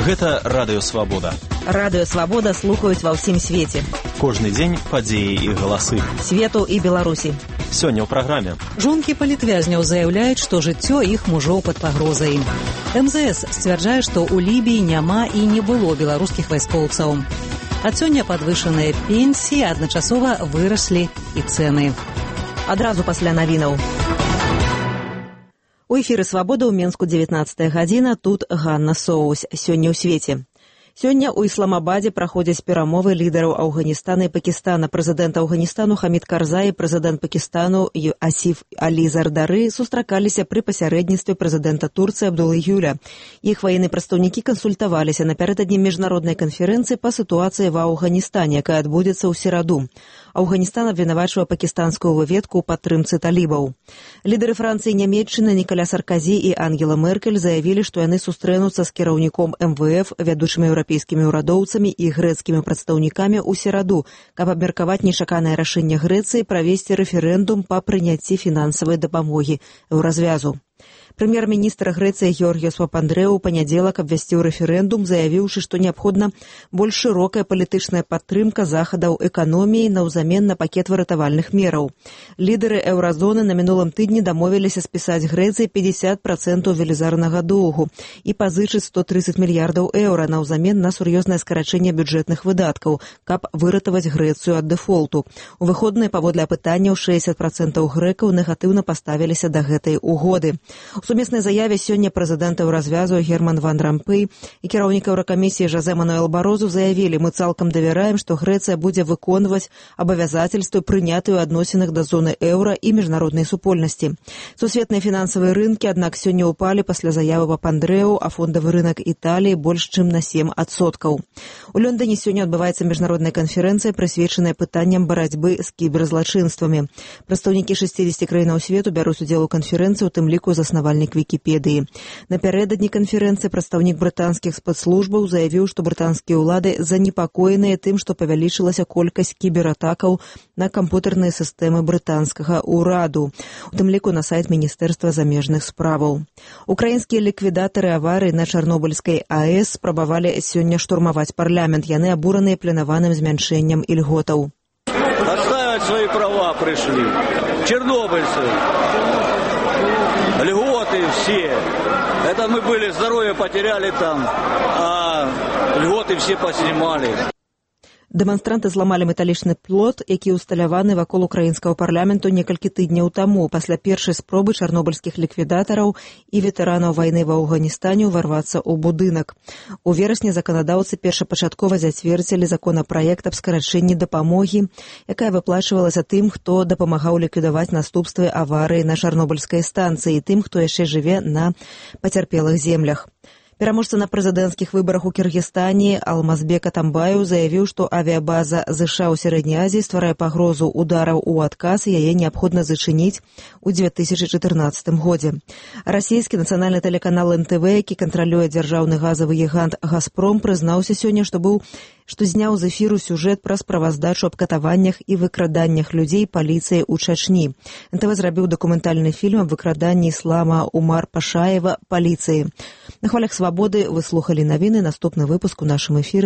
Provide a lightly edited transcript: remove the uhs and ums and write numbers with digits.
Гэта Радыё Свабода. Радыё Свабода слухаюць ва ўсім свеце. Кожны дзень падзеі і галасы. Свету і Беларусі. Сёння ў праграме. Жонкі палітвязняў заяўляюць, што жыццё іх мужоў пад пагрозай. МЗС сцвярджае, што ў Лібіі няма і не было беларускіх вайскоўцаў. Ад сёння падвышаныя пенсіі, адначасова выраслі і цэны. Адразу пасля навінаў. У эфіры «Свабода» ў Менску 19 гадзіна, тут Ганна Соус. Сёння ў свеце. Сёння ў Ісламабадзе праходзяць перамовы лідараў Афганістана і Пакістана. Прэзідэнт Афганістану Хамід Карзай і прэзідэнт Пакістану Асіф Алі Зардары сустракаліся пры пасярэдніцтве прэзідэнта Турцыі Абдулы Гюля. Іх ваенныя прадстаўнікі кансультаваліся напярэдадні міжнароднай канферэнцыі па сітуацыі ва Афганістане, якая адбудзецца ў сераду. Афганістан абвінавачвае пакістанскую выведку ў падтрымцы талібаў. Лідары Францыі і Нямецчыны Нікаля Сарказі і Ангела Меркель заявілі, што яны сустрэнуцца з кіраўніком МВФ, вядучымі еўрапейскімі ўрадоўцамі і грэцкімі прадстаўнікамі ў сераду, каб абмеркаваць нечаканае рашэнне Грэцыі правесці рэферэндум па прыняцці фінансавай дапамогі еўразвязу. Прэм'ер-міністр Грэцыі Георгіос Папандрэу ў панядзелак абвясціў рэферэндум, заявіўшы, што неабходна больш шырокая палітычная падтрымка захадаў эканоміі наўзамен на пакет выратавальных мераў. Лідары еўразоны на мінулым тыдні дамовіліся спісаць Грэцыі 50% велізарнага доўгу і пазычыць 130 мільярдаў еўра наўзамен на сур'ёзнае скарачэнне бюджэтных выдаткаў, каб выратаваць Грэцыю ад дэфолту. У выходныя паводле апытанняў 60% грэкаў негатыўна паставіліся да гэтай угоды. У сумеснай заяве сёння прэзідэнт еўразвязу Герман ван Рампэй і кіраўнік еўракамісіі Жозе Мануэл Барозу заявілі: «Мы цалкам давяраем, што Грэцыя будзе выконваць абавязательствы, прынятыя ў адносінах да зоны еўра і міжнароднай супольнасці». Сусветныя фінансавыя рынкі, аднак, сёння ўпалі пасля заявы Папандрэу, а фондавы рынак Італіі больш чым на 7%. У Лондоне сёння адбываецца міжнародная канферэнцыя, прысвечаная пытанням барацьбы з кіберзлачынствамі. Прадстаўнікі 60 краінаў свету бяруць удзел у канферэнцыі, у тым ліку заснавальнік Вікіпедыі. Напярэдадні канферэнцыі прадстаўнік брытанскіх спецслужбаў заявіў, што брытанскія ўлады занепакоеныя тым, што павялічылася колькасць кібератакаў на кампутарныя сістэмы брытанскага ўраду, у тым ліку на сайт Міністэрства замежных справаў. Украінскія ліквідатары аварыі на Чарнобыльскай АЭС спрабавалі сёння штурмаваць парламент. Яны абураныя планаваным змяншэннем ільготаў. Отстаивать свои права пришли. Чернобыльцы. Льготы все. Это мы были, здоровье потеряли там, а льготы все поснимали. Дэманстранты зламалі металічны плот, які ўсталяваны вакол украінскага парламенту некалькі тыдняў таму, пасля першай спробы чарнобыльскіх ліквідатараў і ветэранаў вайны ва Афганістане ўварвацца ў будынак. У верасні заканадаўцы першапачаткова зацвердзілі законапраект аб скарачэнні дапамогі, якая выплачвалася тым, хто дапамагаў ліквідаваць наступствы аварыі на чарнобыльскай станцыі і тым, хто яшчэ жыве на пацярпелых землях. Пераможца на прэзідэнцкіх выбарах у Кіргізстане Алмазбек Атамбаев заявіў, што авіябаза ЗША ў Сярэдняй Азіі стварае пагрозу удараў у адказ, і яе неабходна зачыніць у 2014 годзе. Расійскі нацыянальны тэлеканал НТВ, які кантралюе дзяржаўны газавы гігант «Газпром», прызнаўся сёння, што зняў з эфіру сюжэт пра справаздачу аб катаваннях і выкраданнях людзей паліцыяй у Чачні. НТВ зрабіў дакументальны фільм аб выкраданні Іслама Умар Пашаева паліцыі. На хвалях «Свабоды» вы слухалі навіны. Наступны выпуск у нашым эфіры